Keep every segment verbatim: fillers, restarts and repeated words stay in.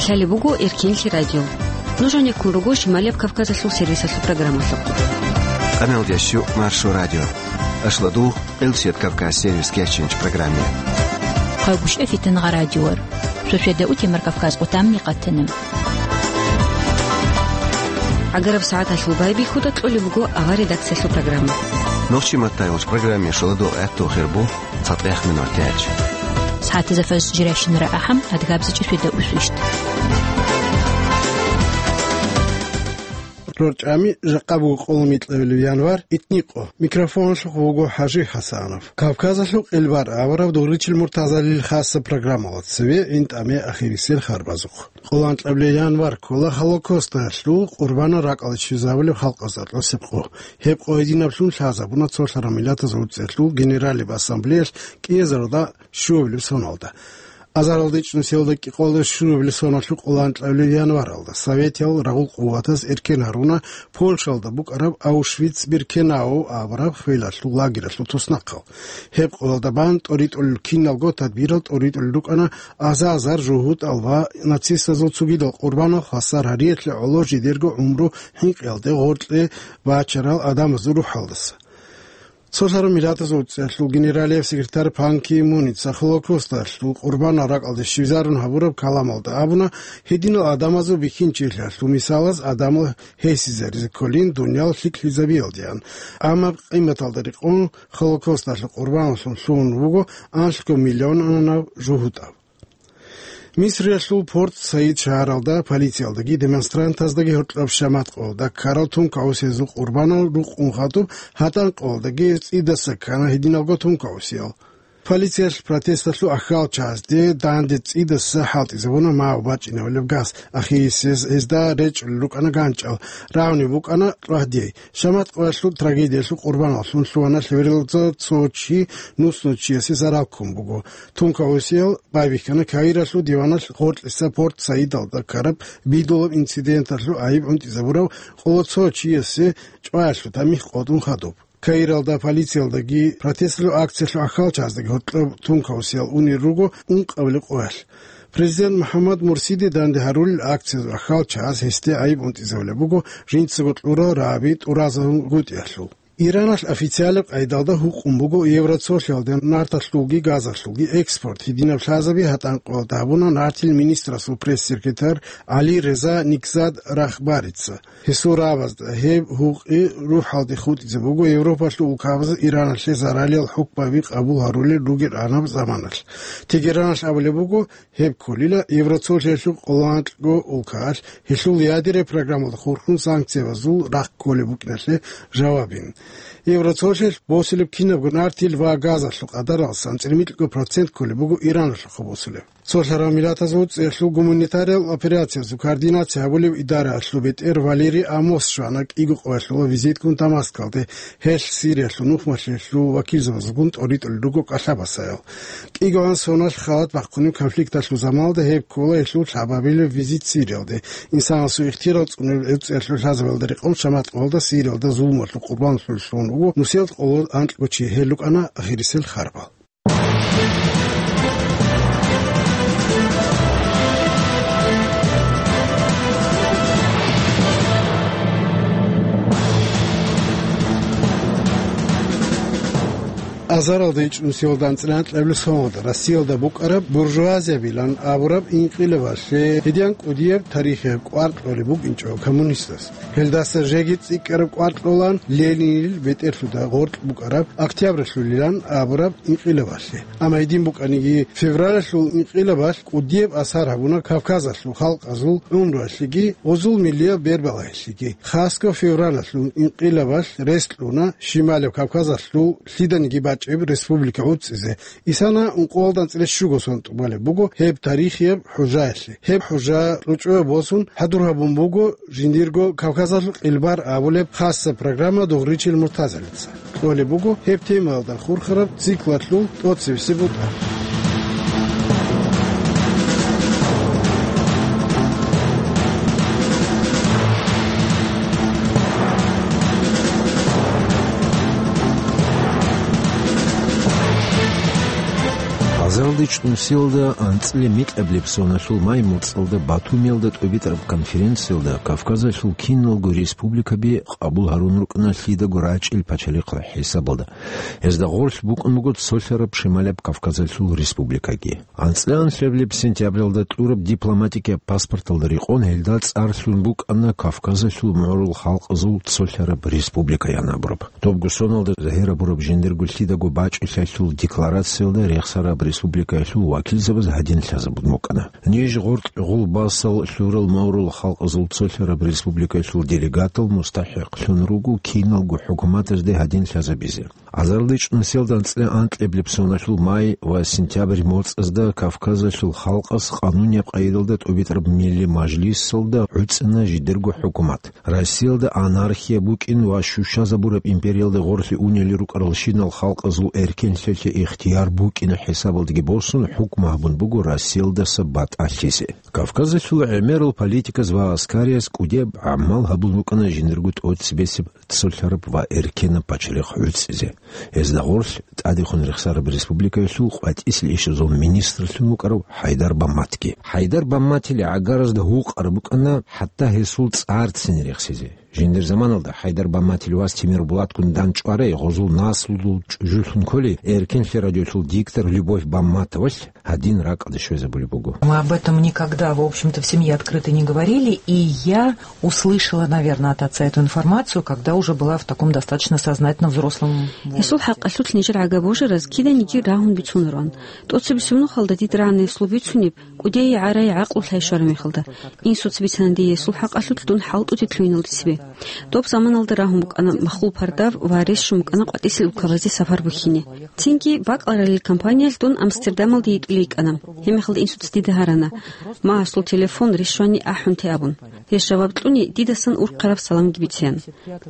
Лъалеб буго Эркенлъи радио. Нуж гьанеккун руго Шималияб Кавказалъул сервисалъул программалъухъ. Къамелдящу Маршо радио. Ашладу, Къилсият Кавказ сервис кечинч программе. Хъагушев Фитнагъа радиор. Сосведа утемар Кавказ къутамни къатана. ГӀагараб сагӀаталъул байбихьуда кьолеб буго авар редакциялъул программа. Нохчи маттайгъулъ программе шаладу гӀатту хирбу. ЦатӀех минутач. СагӀатазда фарз жиращинара ахӀам, адгабзачӀи суда усвищт. РорчӀами жакъа буго къоло микьабилеб январ, итникъо. Микрофонлъухъ вуго ХӀажи ХӀасанов. Кавказалъул къилбар аварав Дугъричил Муртазалил хасса программала цеве гӀин тӀаме ахирисел харбазухъ. Къоло анкьабилеб январ ккола Холокосталъул къурбанал ракӀалде щвезабулеб халкъазда тӀасеб къо. Гьеб къо гьединаблъун лъазабуна цолъараб миллатазул цӀехлъул Генералияб Ассамблеялъ кӀиазарда щуабилеб соналда. Азаралда ичӀнусиялда кӀикъоялда щуабилеб соналъул къоло анкьабилеб январалда советиял рагъул къуватаз эркен гьаруна Польшалда букӀараб Аушвиц-Биркенау абураб хвелалъул лагералъул туснахъал. Гьеб къоялда бан тӀоритӀулел киналго тадбирал тӀоритӀулел рукӀана аза-азар жугьутӀал ва нацистазул цогидал къурбанал хвасар гьариялъе гӀоло жидерго гӀумру хӀинкъиялде, гъоркье, бачарал адамазул рухӀалдаса. Цолъараб миллатазул цӀехлъул генералияб секретарь Пан Ги Муница Холокосталъул къурбанал ракӀалде щвезарун гьабураб каламалда абуна, гьединал адамазул бихьинчилъиялъул мисалаз адамал гьесизаризе кколин дуниял лъикӀлъизабиялдеян. Амма къиматалда рекъон Холокосталъул къурбаналлъун лъугьун вуго анлъго миллионанаб жугьутӀав. Мисриялъул Порт-Саид шагьаралда полициялдаги демонстрантаздаги гьоркьоб шамат къоялда ккарал тункаго сезул къурбанал рукъун хадуб гьатӀан къоялдаги цӀидаса ккана гьединалго тункагосиял. Полициялъ протесталъул ахьалчазде данде цӀидаса хӀалтӀизабуна мав бачӀинабулеб газ, ахирисез гьезда речӀчӀулел рукӀана ганчӀал, рагӀунеб букӀана рагьдей. Шамат къоялъул трагедиялъул къурбаналлъун лъугьана лъебералда цо чи нуснув чиясе зарал ккун буго. Тункагосиял байбихьана Каиралъул диваналъ гъоркьиса Порт-Саидалда ккараб бидулаб инциденталъул гӀайиб гӀунтӀизабурав къоло цо чиясе чӀваялъул тамихӀ къотӀун хадуб. Каиралда полициялдаги протесталъул акциялъул ахьалчаздаги гьоркьоб тункагосиял унел руго ункъабилеб къоялъ. Президент МухӀаммад Мурсиде данде гьарулел акциязул ахьалчаз гьесде гӀайиб гӀунтӀизабулеб буго жинцаго кьурал рагӀаби тӀуразабунгутӀиялъул. Ираналъ официалаб къайдалда гьукъун буго Евроцолъиялде нарталъулги газалъулги экспорт гьединаб лъазаби гьатӀан къоялда гьабуна нартил министрасул пресс-секретарь ГӀали Реза Никзад Рахбарица. Гьесул рагӀабазда гьеб гьукъи рухӀалде хутӀизе буго Европалъул улкабазда Ираналъе заралиял хӀукмаби къабул гьарулел ругел гӀанаб заманалъ. Тегераналъ абулеб буго, гьеб кколила Евроцолъиялъул къоло анкьго улкаялъ гьелъул ядерный программалда хурхун санкциябазул рахъ кколеб букӀиналъе жавабин. Евроцолъиялъ босулеб кинабго нартил ва газалъул къадаралдасан цӀермикьго процент кколеб буго Ираналъухъа босулеб. Цолъарал Миллатазул ЦӀехьлъул гуманитариялъул операциязул координация гьабулев идараялъул бетӀер Валерий Амос щвана кӀиго къоялъула визитккун Дамаскалде, гьелъ Сириялъул нухмалъиялъул вакилзабазулгун тӀоритӀулел руго кӀалъабасаял. КӀигоан соналъ халат бахъунеб конфликталъул заманалда гьеб ккола гьелъул лъабабилеб визит Сириялде. Инсанасул ихтияр цӀунеб гӀурцӀиялъул лъазабиялда рекъон шамат къоялда Сириялда зулмалъул къурбанлъулеллъун вуго нусиялда къоло анкьго чи, гьел рукӀана ахирисел харбал. Азаралда ичӀнусиялда анцӀила анкьабилеб соналда Россиялда букӀараб буржуазиябилан абураб инкъилабалъе гьедин кӀудияб тарихияб кӀвар кьолеб букӀинчӀо коммунистас. Гьелдаса жеги цӀикӀкӀараб кӀвар кьолан Ленинил бетӀерлъуда гъоркь букӀараб Октябралъулилан абураб инкъилабалъе. Амма гьедин букӀаниги, февралалъул инкъилабалъ кӀудияб асар гьабуна Кавказалъул халкъазул гӀумруялъеги, гъозул миллияб бербалаялъеги. Хасго февралалъул инкъилабалъ рес кьуна Шималаб Кавказалъул лъиданиги бачӀеб республика гӀуцӀизе. Исана ункъоялда анцӀила щуго сон тӀубалеб буго гьеб тарихияб хӀужаялъе. Гьеб хӀужа ручӀояб босун хӀадур гьабун буго жиндирго Кавказалъул къилбар абулеб хасса программа Дугъричил Муртазалица. Кьолеб буго гьеб темаялда хурхараб циклалъул тӀоцебесеб бутӀа. ЗаралдичӀ нусиялда анцӀила микьабилеб соналъул май моцӀалда Батумиялда тӀубитӀараб конференциялда Кавказалъул киналго республикаби къабул гьарун рукӀана лъидаго рачӀил пачалихъ хӀисабалда. Гьезда гъорлъ букӀун буго цолъараб Шималаб Кавказалъул республикаги. АнцӀила анлъабилеб сентябралда кьураб дипломатикияб паспорталда рекъон гьелда цӀар лъун букӀана Кавказалъул мугӀрул халкъазул цолъараб республикаян абураб. Добго соналда загьир абураб жиндирго лъидаго бачӀулъалъул декларациялда рехсараб республикаялъул вакилзабаз гьадин лъазабун букӀана: ниж гъоркь гъулбасал лъурал мугӀрул халкъазул цолъараб республикаялъул делегатал мустахӀикълъун руго киналго хӀукуматазде гьадин лъазабизе. АзарличӀ нусиялда анцӀила анкьабилеб соналъул май ва сентябрь моцӀазда Кавказалъул халкъас къанунияб къайдалда тӀубитӀараб Милли Мажлисалда гӀуцӀана жидерго хӀукумат. Россиялда анархия букӀин ва щущазабураб империялда гъорлъе унели рукӀаралщинал халкъазул эркенлъиялъе ихтияр букӀин хӀисабалдаги босун, хӀукму гьабун буго Россиялдаса батӀалъизе. Кавказалъул гӀемерал политиказ ва аскариз кӀудияб гӀамал гьабун рукӀана жиндирго тӀоцебесеб цолъараб ва эркенаб пачалихъ гӀуцӀизе. Гьезда гъорлъ тӀадехун рехсараб республикаялъул къватӀисел ишазул министрлъун вукӀарав ХӀайдар Бамматги. ХӀайдар Бамматил гӀагаразда гьукъараб букӀана хӀатта гьесул цӀарцин рехсизе. Жиндир заманалда ХӀайдар Бамматил вас Тимирбулатгун дандчӀварай, гъозул наслудул чӀужулъун кколей эркенлъи радиолъул диктор Любовь Бамматовалъ гьадин ракӀалде щвезабулеб буго. Мы об этом никогда, в общем-то, в семье открыто не говорили, и я услышала, наверное, от отца эту информацию, когда уже была в таком достаточно сознательно взрослом возрасте. Гьесул хӀакъалъулъ нижер гӀага божараз киданиги рагьун бицунаран. ТӀоцебесеб нухалда дид рагӀана гьесул бицунеб, кӀудияй гӀарай гӀакълу лъай щвараб мехалда. Инсуца бицана дие гьесул хӀакъалъулъ дун хӀалтӀуде лъугьиналде цебе. Доб заманалда рагьун букӀана махлу пардав ва рещун букӀана къватӀисел улкабазде сапар бухьине. Цинги бакӀаларалил компаниялъ дун Амстердамалде йитӀулей йикӀана. Гьебмехалда инсуца дида гьарана, магьасул телефон рещвани ахӀунте абун. Гьес жаваб кьуни, дидасан урхъараб саламги бицеян.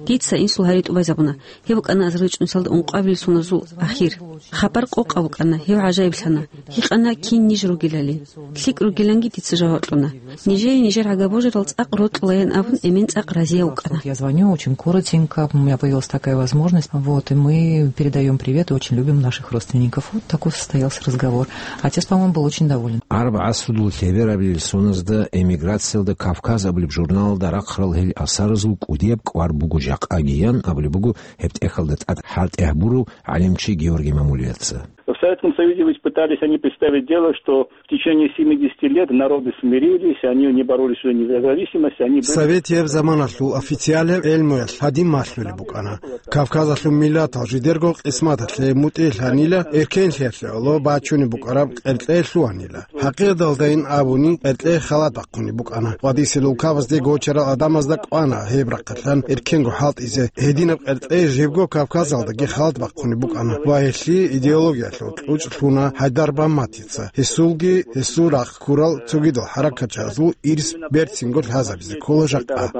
Дица инсул гьари тӀубазабуна. Гьеб букӀана азарилчӀунсалда ункъабилеб соназул ахир. Хабар къокъаб букӀана, гьев гӀажаиблъана. Гьикъана кин ниж ругелали. ЛъикӀ ругиланги дица жаваб кьуна. Нижее нижер гӀага божарал цӀакъ рокьулаян абун, эмен цӀакъ разияв вукӀана. Вот я звоню очень коротенько, у меня появилась такая возможность. Вот, и мы передаём привет и очень любим наших родственников. Вот такой состоялся разговор. Отец, по-моему, был очень доволен. Араб гӀасрудул лъеберабилел соназда эмиграциялда Кавказ абулеб журналалда рахъарал гьел асаразул кӀудияб кӀвар буго жакъагиян абулеб буго гьеб тӀехьалда тӀад хӀалтӀи гьабурав гӀалимчи Георгий Мамулияца. В Советском Союзе ведь пытались они представить дело, что в течение семидесяти лет народы смирились, они не боролись уже не за независимость, они были... Советияб заманалъул официалияб гӀелмуялъ гьадин малъулеб букӀана: Кавказалъул миллатал жидерго къисматалъе мутӀигӀлъанила, эркенлъиялъе гӀоло бачунеб букӀараб къеркье лъугьанила. ХӀакъикъаталдайин абуни, къеркье халат бахъунеб букӀана. КъватӀисел улкабазде гочарал гӀадамазда кӀвана гьеб рахъалъан эркенго хӀалтӀизе. Гьединаб къеркье жибго Кавказалдаги халат бахъунеб букӀана ва гьелъие идеологиялъул кьучӀ лъуна ХӀайдар Бамматица. Гьесулги гьесул рахъ ккурал цогидал хӀаракатчиязул ирс берцинго лъазабизе ккола жакъа.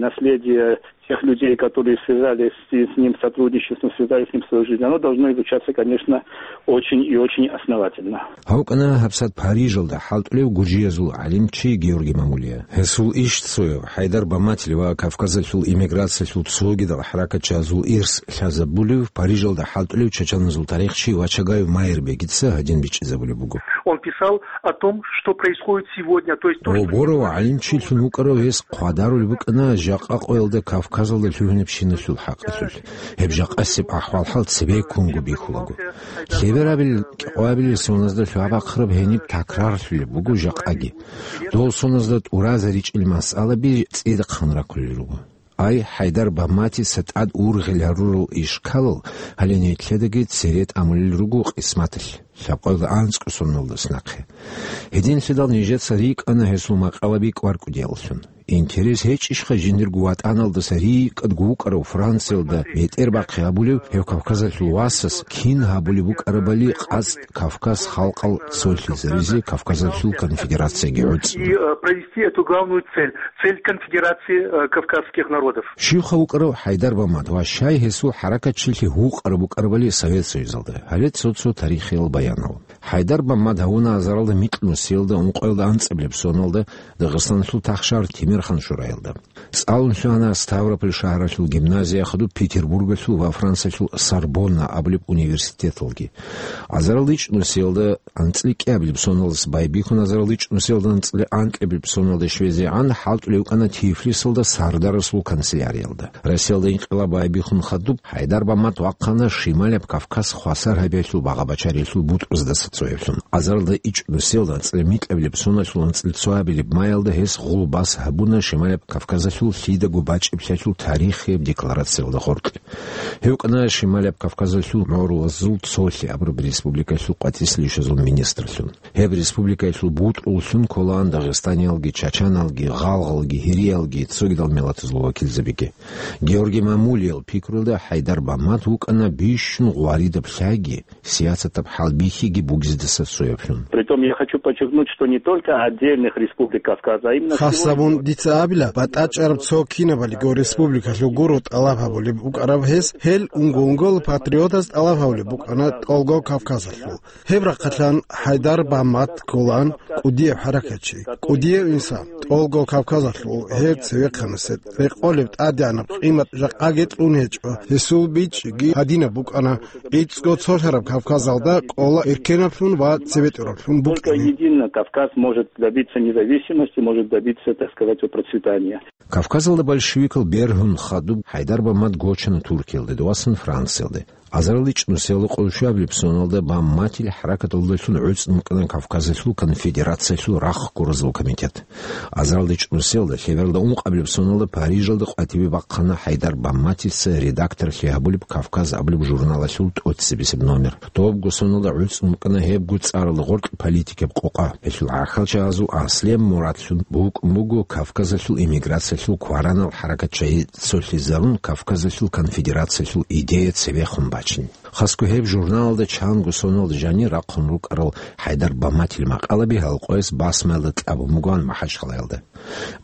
Наследие тех людей, которые связались с, с ним сотрудничеством, связались с ним свою жизнь, оно должно изучаться, конечно, очень и очень основательно. Гьав вукӀана гьабсагӀат Парижалда хӀалтӀулев гуржиязул гӀалимчи Георгий Мамулия. Гьесул иш цояв, ХӀайдар Бамматил ва Кавказалъул эмиграциялъул цогидал хӀаракатчиязул ирс лъазабулев, Парижалда хӀалтӀулев чачаназул тарихчи Вачагаев Майрбегица гьадин бичӀчӀизабулеб буго. Он писал о том, что происходит сегодня, то есть то, что... Гъоб борав гӀалимчилъун вукӀарав гьес хъвадарулеб букӀана жакъа къоялда Кавказалда лъугьинабщиналъул хӀакъалъулъ. Гьеб жакъасеб ахӀвал-хӀал цебеккунго бихьулаго. Лъеберабил кӀикъоябилел соназда лъугьа-бахъараб гьениб такрарлъулеб буго жакъаги. Дол соназда тӀуразаричӀел масъалаби цӀидахъан рахъулел руго. Ай, ХӀайдар Бамматица тӀад ургъел гьарурал ишкалал гьале нилъедаги цере тӀамулел руго къисматалъ, лъабкъоялда анцӀго соналдаса нахъе. Гьединлъидал нижеца рикӀкӀана гьесул макъалаби кӀвар-кӀудияллъун. Интерес гьечӀищха жиндирго ватӀаналдаса рикӀкӀадго вукӀарав Франциялда бетӀербахъи гьабулев гьев Кавказалъул васас кин гьабулеб букӀарабали къацӀ Кавказ халкъал цолъизаризе Кавказалъул конфедерацияги гӀуцӀун. И, э, провести эту главную цель, цель конфедерации, э, кавказских народов. Щивха вукӀарав ХӀайдар Баммат ва щай гьесул хӀаракатчилъи гьукъараб букӀарабали Совет Союзалда? Гьале цо-цо тарихиял баянал. ХӀайдар Бамат гьавуна азаралда микьнусиялда ункъоялда анцӀабилеб соналда Дагъистаналъул тахшар Тимирхан-Шураялда. ЦӀалун лъугьана Ставрополь шагьаралъул гимназия, хадуб Петербургалъул ва Франциялъул Сорбонна абулеб университеталги. Азаралда ичӀнусиялда анцӀила кӀиабилеб соналдаса байбихьун, азаралда ичӀнусиялда анцӀила анкьабилеб соналда щвезегӀан хӀалтӀулев вукӀана Тифлисалда сардарасул канцеляриялда. Россиялда инкъилаб байбихьун хадуб, ХӀайдар Бамат вахъана Шималаб Кавказ хвасар гьабиялъул багъа-бачариялъул бутӀруздаса цояблъун. Азаралда ичӀнусиялда анцӀила микьабилеб соналъул анцӀила цоабилеб маялда гьес гъулбас гьабуна Шималаб Кавказалъул лъидаго бачӀиблъиялъул тарихияб декларациялда гъоркь. Гьев вукӀана Шималаб Кавказалъул гӀоролазул цолъи абураб республикаялъул къватӀислъи ишазул министрлъун. Гьеб республикаялъул бутӀруллъун кколаан дагъистаниялги, чачаналги, гъалгъалги, гьириялги, цогидал миллатазул вакилзабиги. Георгий Мамулиял пикруялда ХӀайдар Бамат вукӀана бищун гъваридаб лъайги, сиясатаб хӀалбихьиги бугездаса цояблъун. Притом я хочу подчеркнуть, что не только отдельных республик Кавказа, а именно... Хасабун дица абила, батӀачӀараб цо кинабалиго республикалъул гуро тӀалаб гьабулеб букӀараб гьес, гьел унго-унгола патриотаз тӀалаб гьабулеб букӀана ТӀолго Кавказалъул. Гьеб рахъалъан ХӀайдар Бамат кколаан кӀудияб хӀаракатчи, кӀудияв инсан, ТӀолго Кавказалъул гьев цевехъанасе рекъолеб тӀадегӀанаб къимат жакъаги кьун гьечӀо, гьесул бичӀчӀиги гьадинаб букӀана: ГӀицӀго цолъараб Кавказалда кӀола эркенаблъун ва цебетӀераблъун Только букӀине. Едино Кавказ может добиться независимости, может добиться, так сказать, процветания. Кавказалда большевикал бергьун хадуб ХӀайдар Бамат гочана Туркиялде, дов вассана Франциялде. Азаралда ичӀнусиялда къоло щуабилеб соналда Баматил хӀаракаталдалъун гӀуцӀун вукӀана Кавказалъул конфедерациялъул рахъ гуразул комитет. Азаралда ичӀнусиялда лъебералда ункъабилеб соналда Парижалда къватӀибе бахъана ХӀайдар Баматица редакторлъи гьабулеб «Кавказ» абулеб журналалъул тӀоцебесеб номер. Добго соналда гӀуцӀун вукӀана гьебго цӀаралда гъоркь политикаб къокъа. Гьелъул гӀахьалчагӀазул аслияб мурадлъун букӀун буго Кавказалъул эмиграциялъул кваранал хӀаракатчагӀи цолъизарун, Кавказалъул конфедерациялъул идея цебехун бачин. Хасго гьеб журналалда чанго соналда жанир рахъун рукӀарал ХӀайдар Баматил макъалаби гьал къояс басмаялда кьабун бугоан МахӀачхъалаялда.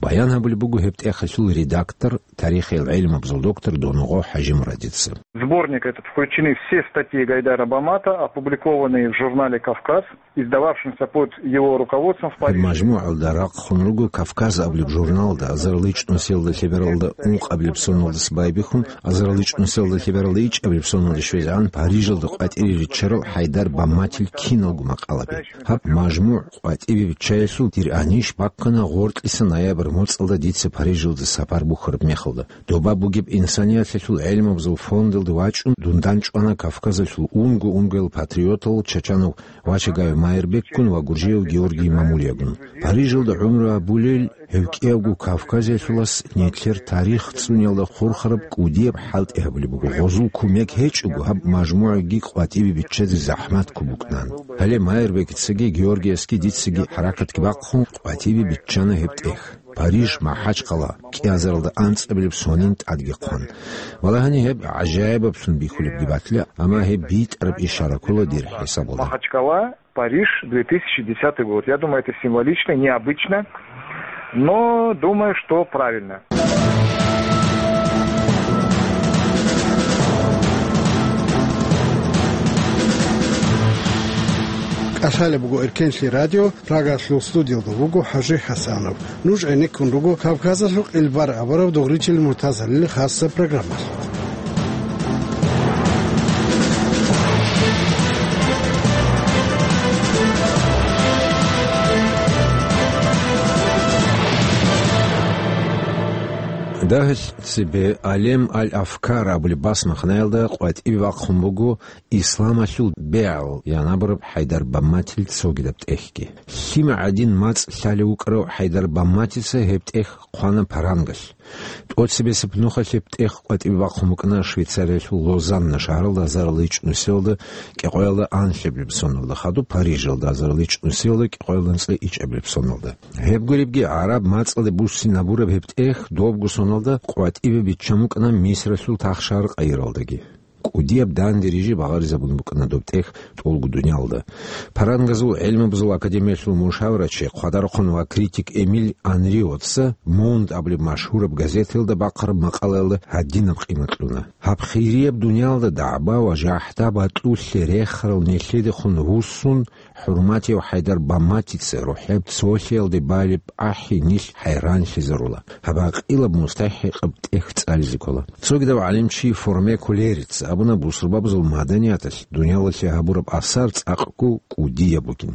Баян гьабулеб буго гьеб тӀехалъул редактор, тарихиял гӀелмабазул доктор Донгъо ХӀажимурадица. В сборник этот включены все статьи Гайдара Бамата, опубликованные в журнале «Кавказ», издававшемся под его руководством в Гьеб Париже. МажмугӀалда рахъун руго «Кавказ» абулеб журналда, азарилчӀнусиялда лъебералда ункъабилеб соналдаса байбихьун, азарилчӀнусиялда лъебералда ичӀабилеб соналда щвезегӀан Парижалда къватӀире риччарал ХӀайдар Баматил киналго макъалаби. Гьаб мажмугӀ къватӀибе биччаялъул дир анищ баккана гъоркьиса ноябрь моцӀалда дица Парижалда сапар бухьараб мехалда. Доба бугеб инсанияталъул гӀелмабазул фондалда вачӀун, дун дандчӀвана Кавказалъул унго-унгоял патриотал, чачанав Вачагаев Майрбекгун ва гуржияв Георгий Мамулиягун. Парижалда гӀумру гьабулел гьев кӀиявго кавказиялъулас нилъер тарих цӀуниялда хурхараб кӀудияб хӀалтӀи гьабулеб буго. Гъозул кумек гьечӀого, гьаб мажмугӀаги къватӀибе биччазе захӀмат ккун букӀунан. Гьале Майрбекицаги Георгиясги дицаги хӀаракатги бахъун къватӀибе биччана гьеб тӀех. Париж, МахӀачхъала, кӀиазаралда анцӀабилеб сонин тӀадги хъван. Валагьани, гьеб гӀажаибаблъун бихьулебги батила, амма гьеб битӀараб ишара ккола дир хӀисабалда. Махачкала, Париж, две тысячи десятый год. Я думаю, это символично, необычно, но думаю, что правильно. КӀалъалеб буго Эркенлъи радио, Прагалъул студиялда вуго ХӀажи ХӀасанов. Нуж гӀенеккун руго Кавказалъул къилбар абураб Дугъричил Муртазалил хасаб программалъ. Дагьалъ цебе Алем аль-Афкар абулеб басмахнаялда къватӀибе бахъун буго Исламалъул бегӀал янабураб ХӀайдар Бамматил цогидаб тӀехьги. Лъим гӀадин мацӀ лъалев вукӀарав ХӀайдар Бамматица гьеб тӀехь хъвана парангалъ. ТӀоцебесеб нухалъ гьеб тӀехь къватӀибе бахъун букӀана Швейцариялъул Лозанна шагьаралда азарилчӀнусиялда кӀикъоялда анлъабилеб соналда хадуб, Парижалда азарилчӀнусиялда кӀикъоялда анцӀила ичӀабилеб соналда. Гьеб гуребги, гӀараб мацӀалде буссинабураб гьеб тӀехь добго соналда къватӀибе биччан букӀана Мисралъул тахшагьар Къайралдаги. КӀудияб данде рижи багъаризабун букӀана доб тӀехь тӀолго дуниялда. Парангазул гӀелмабазул академиялъул мушаварачи, хъвадарахъун ва критик Эмиль Анриотца «Монд» абулеб машгьураб газеталда бахъараб макъалаялда гьадинаб къимат кьуна: «Гьаб хирияб дуниялда дагӀба ва жахӀда батӀулъе рехарал нилъедехун вуссун, ХӀурматияв ХӀайдар Баматица рухӀеб цолъиялде балеб ахӀи нилъ хӀайранлъизарула. Гьаб гьакъилаб мустахӀикъаб тӀехь цӀализе ккола». Цогидав гӀалимчи Форме Кулерица абуна бусурбабазул маданияталъ дуниялалъе гьабураб асар цӀакъго кӀудияб бугин.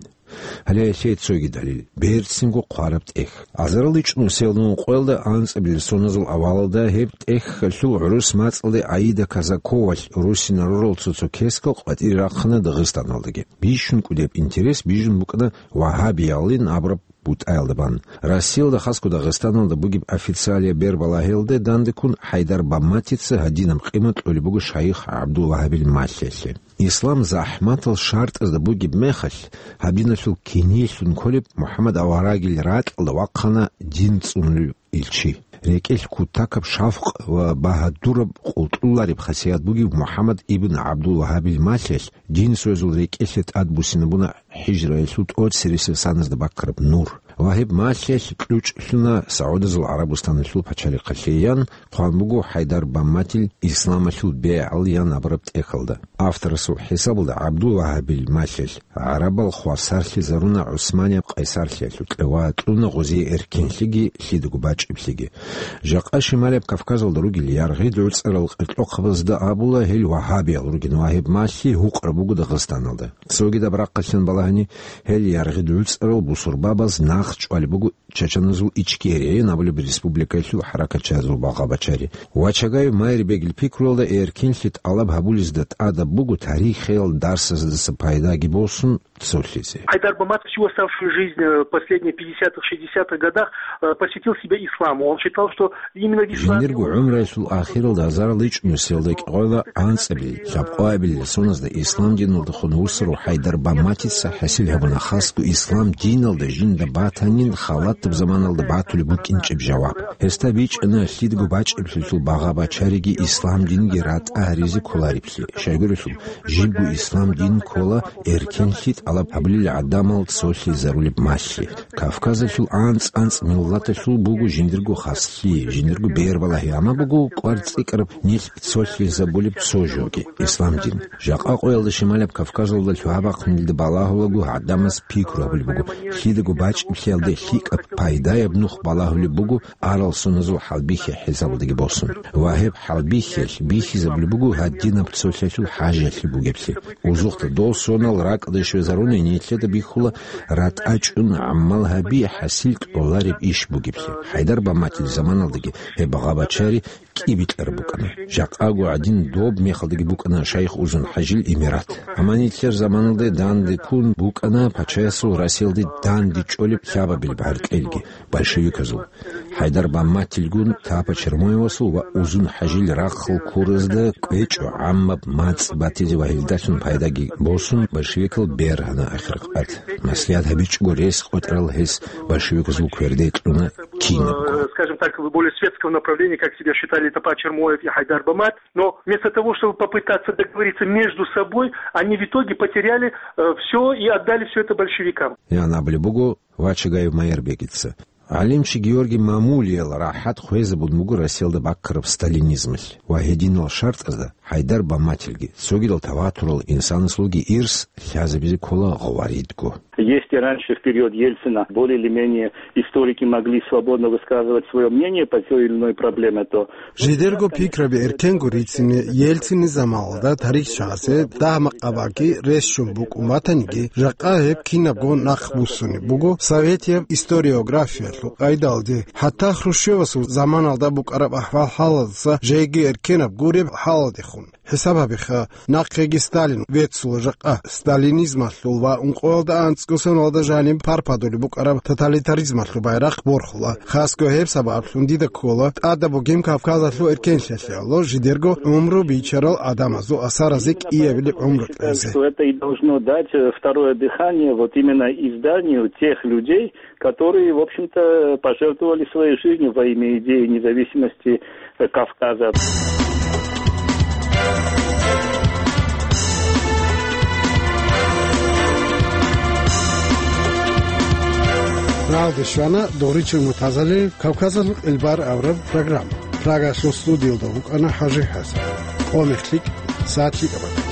Гьале гьелъие цоги далил: берцинго хъвараб тӀехь. Азарал ичӀнусиялда ункъоялда анцӀабилеб соназул авалалда гьеб тӀехьалъул гӀурус мацӀалде Аида Казаковалъ русинал рурал цо-цо кескал къватӀире рахъана Дагъистаналдаги. Бищун кӀудияб интерес бижун букӀана вагьабиялин абураб бутӀаялда бан. Россиялда, хасго Дагъистаналда бугеб официалияб бербалагьиялде дандеккун ХӀайдар Бамматица гьадинаб къимат кьолеб буго шайх ГӀабдул-Вагьабил малъиялъе. Ислам захӀматал шартӀазда бугеб мехалъ, гьаб диналъул киниялъун кколеб МухӀаммад аварагил ракьалда вахъана дин цӀунулев илчи. РекӀелъ кутакаб шавкъ ва багьадураб къултӀулареб хасият бугев МухӀаммад ибн ГӀабдул-Вагьабил малъиялъ дин цоязул рекӀелъе тӀадбуссинабуна хӀижраялъул тӀоцересел саназда баккараб нур. Ва гьеб малъиялъ кьучӀлъуна СагӀудазул ГӀарабустаналъул пачалихъалъе ян, хъван буго ХӀайдар Бамматил исламалъул бегӀал ян абураб тӀехьалда. Авторасул хӀисабалда ГӀабдул-Вагьабил малъиялъ гӀарабал хвасарлъизаруна ГӀусманияб къайсарлъиялъукьа ва кьуна гъозие эркенлъиги лъидаго бачӀиблъиги. Жакъа Шималияб Кавказалда ругел яргъи гӀуцӀарал къеркьохъабазда абула гьел вагьабиял ругин ва гьеб малъи гьукъараб буго Дагъистаналда. Цогидаб рахъалъан балагьани, гьел яргъи гӀуцӀарал бусурбабаз нахъ чӀвалеб буго Чачаназул Ичкерия абулеб республикаялъул хӀаракатчиязул багъа-бачари. Вачагаев Майрбегил пикруялда эркенлъи тӀалаб гьабулезда тӀадаб буго тарихиял дарсаздаса пайдаги босун цолъизе. Хайдар Баматов всю оставшуюся жизнь, э, последние пятидесятых, шестидесятых годах, э, посвятил себя исламу. Он считал, что именно в исламе... Жиндирго гӀумруялъул ахиралда азарал ичӀнусиялда кӀикъоялда анцӀабилел, лъабкъоабилел соназда ислам диналдехун вуссарав Хайдар Бамматица хӀасил гьабуна хасго ислам диналда жинда батанин халатаб заманалда батулеб букӀинчӀеб жаваб. Гьесда бичӀчӀана лъидго бачӀиблъиялъул багъа-бачариги ислам динги ратӀа гьаризе кколареблъи. Щайгурелъул, жибго ислам дин ккола эркенлъи тӀалаб гьабулел гӀадамал цолъизарулеб малъи. Кавказалъул анцӀ-анцӀ миллаталъул буго жиндирго хаслъи, жиндирго бербалагьи, амма буго кӀвар цӀикӀкӀараб нилъ цолъизабулеб цо жоги, ислам дин. Жакъа къоялда Шималаб Кавказалда лъугьа-бахъунилда балагьулаго гӀадамаз пикру гьабулеб буго, лъидаго бачӀиблъиялде лъикӀаб пайдаяб нух балагьулеб буго арал соназул хӀалбихьи хӀисабалдаги босун. Ва гьеб хӀалбихьиялъ бихьизабулеб буго гьадинаб цолъиялъул хӀажиялъе бугеблъи. Узухъда дол сонал ракӀалде щвезаруни нилъеда бихьула ратӀа чӀун гӀамал гьаби хӀасил кьолареб иш бугеблъи. Хайдар Баматил заманалдаги гьеб багъа-бачари кӀибитӀараб букӀана. Жакъаго гӀадин доб мехалдаги букӀана шайх Узун-хӀажил имарат. Амма нилъер заманалде данде ккун букӀана пачаясул Россиялде данде чӀолеб лъабабилеб гӀаркьелги, большевиказул. Хайдар Бамматилгун Тапа Чермоевасул ва Узун-хӀажил рахъал ккуразда кӀвечӀо гӀаммаб мацӀ батизе ва гьелдалъун пайдаги босун, большевикал бергьана ахиркъат. Маслигьат гьабичӀого рес къотӀарал гьес большевиказул кверде кьуна кинабго. Э, скажем так, более светского направления, как себя считали Тапа Чермоев и Хайдар Бамат. Но вместо того, чтобы попытаться договориться между собой, они в итоге потеряли, э, всё и отдали всё это большевикам. Ян абулеб буго Вачагаев Майрбегица. ГӀалимчи Георгий Мамулиял рахӀат хвезабун буго Россиялда баккараб сталинизмалъ ва гьединал шартӀазда Хайдар Бамматилги, цогидал таватурал инсанасулги ирс лъазабизе ккола гъваридго. Если раньше, в период Ельцина, более или менее историки могли свободно высказывать своё мнение по той или иной проблеме, то... Жидерго пикраби эркенго рицине Ельцини заманалда тарихчасе дагь-макъабаги рес щун букӀун батаниги, жакъа гьеб кинабго нахъбуссунеб буго советияб историографиялъул къайдалде, хӀатта Хрущевасул заманалда букӀараб ахӀвал-хӀалалдаса жеги эркенаб гуреб хӀалалдехун. ХӀисаб гьабиха, нахъеги Сталин веццула жакъа. Сталинизмалъул ва ункъоялда анцӀго соналда жаниб парпадулеб букӀараб тоталитаризмалъул байрахъ борхула. Хасго гьеб сабаблъун дида ккола тӀадаб бугеб Кавказалъул эркенлъиялъе жидерго гӀумру бичарал гӀадамазул асаразе кӀиабилеб гӀумру кьезе. Что это и должно дать, э, второе дыхание вот именно изданию тех людей, которые, в общем-то, пожертвовали своей жизнью во имя идеи независимости, э, Кавказа. Алде щвана догъричил мутазалил Кавказалъул къилбар абураб программа. Прагалъул студиялда вукӀана ХӀажи ХӀасан. Къо мехлъи, сагӀат лъикӀаб.